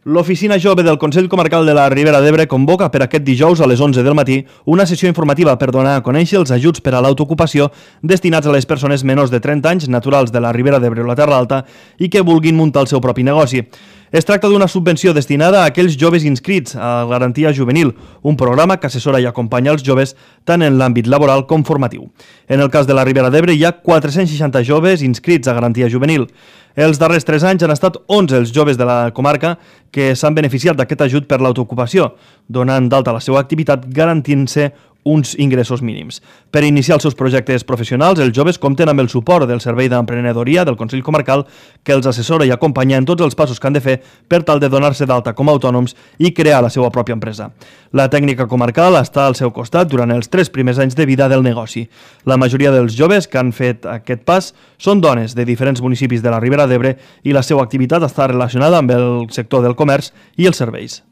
L'Oficina Jove del Consell Comarcal de la Ribera d'Ebre convoca per aquest dijous a les 11 del matí una sessió informativa per donar a conèixer els ajuts per a l'autoocupació destinats a les persones menors de 30 anys naturals de la Ribera d'Ebre o la Terra Alta i que vulguin muntar el seu propi negoci. Es tracta d'una subvenció destinada a aquells joves inscrits a Garantia Juvenil, un programa que assessora i acompanya els joves tant en l'àmbit laboral com formatiu. En el cas de la Ribera d'Ebre hi ha 460 joves inscrits a Garantia Juvenil. Els darrers 3 anys han estat 11 els joves de la comarca que s'han beneficiat d'aquest ajut per l'autoocupació, donant d'alta la seva activitat garantint-se uns ingressos mínims. Per iniciar els seus projectes professionals, els joves compten amb el suport del Servei d'Emprenedoria del Consell Comarcal que els assessora i acompanya en tots els passos que han de fer per tal de donar-se d'alta com a autònoms i crear la seva pròpia empresa. La tècnica comarcal està al seu costat durant els 3 primers anys de vida del negoci. La majoria dels joves que han fet aquest pas són dones de diferents municipis de la Ribera d'Ebre i la seva activitat està relacionada amb el sector del comerç i els serveis.